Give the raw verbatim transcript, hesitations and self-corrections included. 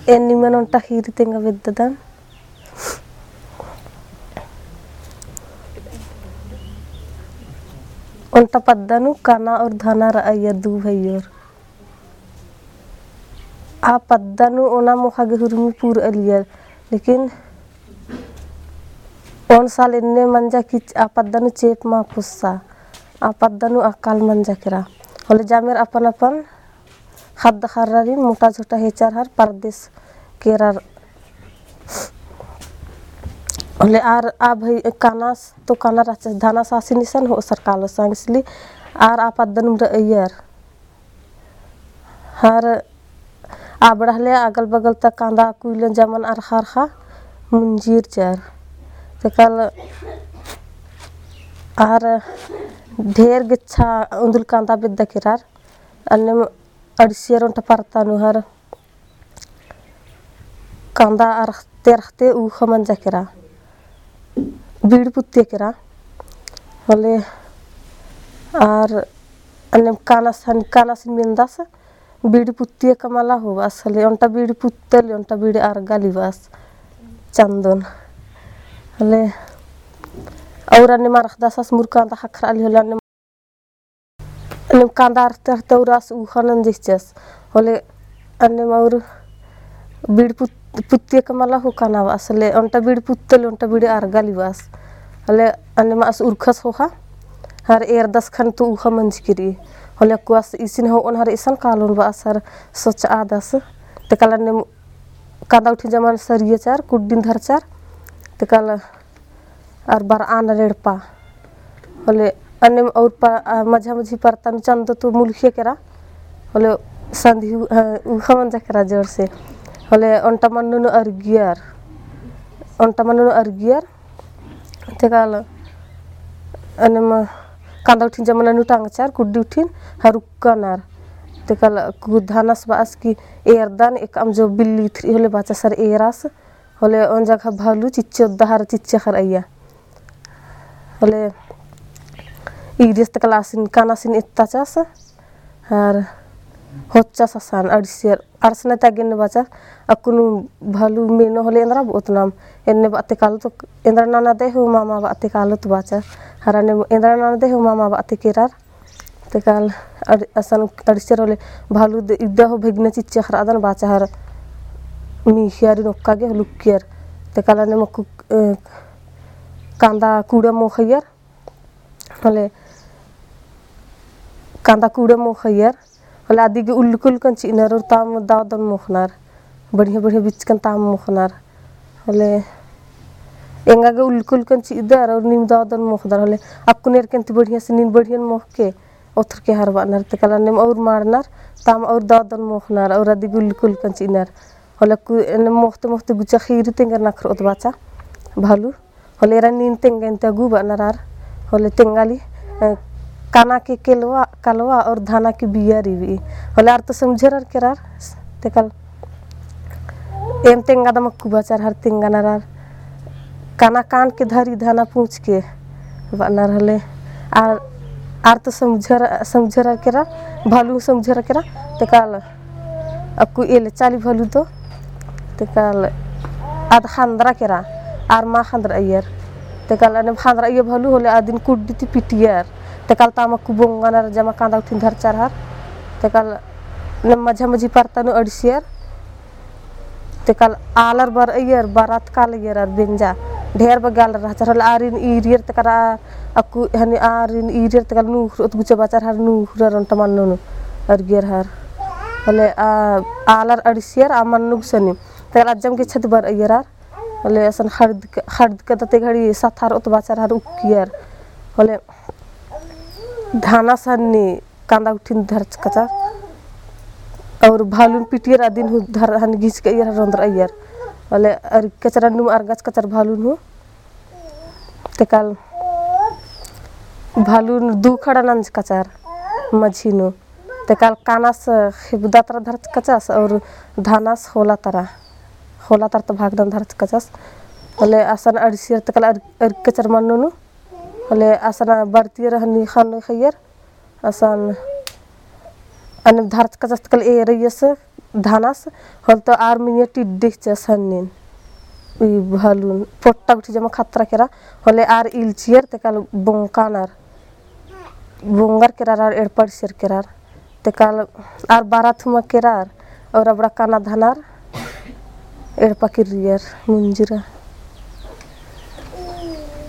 एन निमन ओन्टा ख़ीरी तेंगा बेद्ददन। ओन्टा पद्दा नू काना और धाना रअयर दू भइयोर। आ पद्दा नू ओना मोख़ा गे हुरमी पूरआ लगियर, लेकिन ओन साल एन्ने मंजा कि आ पद्दा नू चेंप मा पुस्सा, आ पद्दा नू अकाल मंजा केरा। होले जामेर अपन अपन ख़द्द ख़र्रारिन मोटा झोटा हेचार हर परदेस केरर। होले आर आ भई कानास तो काना रहचा, धानास आसिन इसन होसर कालोस, इसलिए आर आ पद्दा नू रअयर। हर आबड़ा हले अगल बगल ता कांदा कुइलन जमन अरखा अरखा मुंजीर चर। तेकल आर ढेर गेच्छा उन्दुल कांदा बेद्दा केरार। अन्नेम अड़सियर ओन्टा परता नू हर कांदा अरखते अरखते ऊखा मंजा केरा, बीड़ी पुत्तिया केरा। होले आर अन्नेम कानास हन, कानासिन मेंदास बीड़ी पुत्तिया का मला होबास, होले ओन्टा बीड़ी पुत्तली, ओन्टा बीड़ी अरगाली बास चंदोन। होले और अन्नेम अरखदास आस मुर कांदा ख़क्खरआली, होले अन्नेम अन्नेम कांदा अरखते अरखते और आस ऊखा नंजचस। होले अन्नेम और बीड़ी पुत-, पुत्तिया का मला हो काना बास, होले ओन्टा बीड़ी पुत्तली, ओन्टा बीड़ी अरगाली बास। होले अन्नेम आस उरखस होख़ा, हर एरदस ख़ने तो ऊखा मंजकी रई। होले अक्कु आस इसिन होओन हर इसन कालोन बास हर सोचआदस। तेकल अन्नेम कांदा उठिन जमन सरिया चर, कुड्डिन धरचर। तेकल अर बरआ नर एड़पा। होले अन्नेम और प-, अ, मझा मझी परता नू चंदो तो मुलखिया केरा। होले संधी उ-, अ, ऊखा मंजा केरा जोर से। होले ओन्टा मन्नो नू अरगियर। ओन्टा मन्नो नू अरगियर। तेकल अन्नेम कांदा उठिन जमन नू टांगचर, कुड्डी उठिन हर उक्कनर। तेकल अक्कु धानास बास कि एरदन एकअम जो बिल्ली इथरी होले बाचस हर एरास। होले ओन जगह भालू चिच्चो दहर चिच्चे ख़रअइया। होले ईरियस तेकल आसिन कानासिन एत्ताचस, हर होच्चस असन अड़सियर, अड़सना ता गेन्ने बाचा, अक्कुन भालू मेनो होले एन्दरा बओत नाम, एन्ने बाते कालोत, एन्दरा ननदे हो मामा बाते कालोत बाचा, हर अन्नेम एन्दरा ननदे हो मामा बाते केरर। तेकल अड़-, असन अड़सियर होले भालू द-, इदा हो भेगना चिच्चा ख़रअदन बाचा हर मीख़ियारिन ओक्का गे होले उक्कियर। तेकल अन्नेम अक्कु, अ, कांदा कूड़ा मोख़इयर। होले कांदा कूड़ा मोख़इयर। होले अदी गे उल्लकन उल्लकन चिअनर और ताम दव दन मोख़नर। बढ़िया बढ़िया बिचकन ताम मोख़नर। होले एंगा गे उल्लकन उल्लकन चिअदर और नीम दव दन मोख़दर। होले अक्कुन एरकन ती बढ़िया से नीन बढ़ियन मोख़के ओथरके हर बअनर। तेकल अन्नेम और माड़नर, ताम और दव दन मोख़नर और अदी गे उल्लकन उल्लकन चिअनर। होले अक्कु एन्ने मोख़ते मोख़ते गुचा ख़ीरी तेंगर नखरओत बाचा भालू। होले एरा नीन तेंगा एन्ते अगु बअनर आर। होले तेंगाली, अ, काना के केलवा, कलवा और धाना के बिया रिबी। होले आर तो समझरर केरर, तेकल एम तेंगा दम अक्कु बाचर हर तेंगानर आर। काना कान के धरी धाना पूँछ के बअनर होले। आर, आर तो समझर, समझरर केरर, भालू समझरर केरर, तेकल अक्कु एले चाली भालू तो, तेकल आद ख़न्दरा केरा, आर मा ख़न्दरअइयर। तेकल अन्नेम ख़न्दरअइयर भालू होले आदिन कुड्डी ती पिटियर। तेकल ताम अक्कु बोंगनर जमा कांदा उठिन धरचर हर। तेकल अन्नेम मझा मझी परता नू अड़सियर। तेकल आलर बरअइयर, बरात कालअइयर आर बेंजा। ढेर बग्गे आलर रहचर होले आरिन ईरियर तेकल आ अक्कु हनी आरिन ईरियर तेकल नूख़रओत गुचा बाचर हर नूख़रर ओन्टा मन्नो नू अरगियर हर। होले आ, आलर अड़सियर आ मन्नो गुसनी। तेकल अज्जम गेच्छा ती बरअइयर आर। होले असन ख़ड़द क-, ख़ड़द कदते घड़ी सथारओत बाचर हर उक्कियर। होले धानास हनी कांदा उठिन धरचकचर। और भालुन पिटियर अदिन हूँ धर हनी घिचकइयर हर ओन्द्रअइयर। होले अरगचर अन्नुम अरगचकचर भालुन हूँ। तेकल भालुन दू खड़ा नंजकचर मझी नू। तेकल कानास ख़ेबदा तरा धरचकचस और धानास ख़ोला तरा, ख़ोला तरा तो भागदन धरचकचस। होले असन अड़सियर तेकल अर-, अरगचर मन्नो नू। होले असन बरतियर हनी ख़ने ख़इयर। असन अन्ने धरचका जस्त कल एरइयस धानस, होले तो आर मिनिया टिड्डी चस हन्निन। ई भलुन पोट्टा गुट्ठी जमा खतरा केरा, होले आर इल्चियर ते काल बोंकानर, बोंगर केरार आर एड़पा इल्चियर केरार, ते काल आर बारा थुमा केरार, और अबड़ा काना धानर एड़पा किर्रियर मुंजुरा।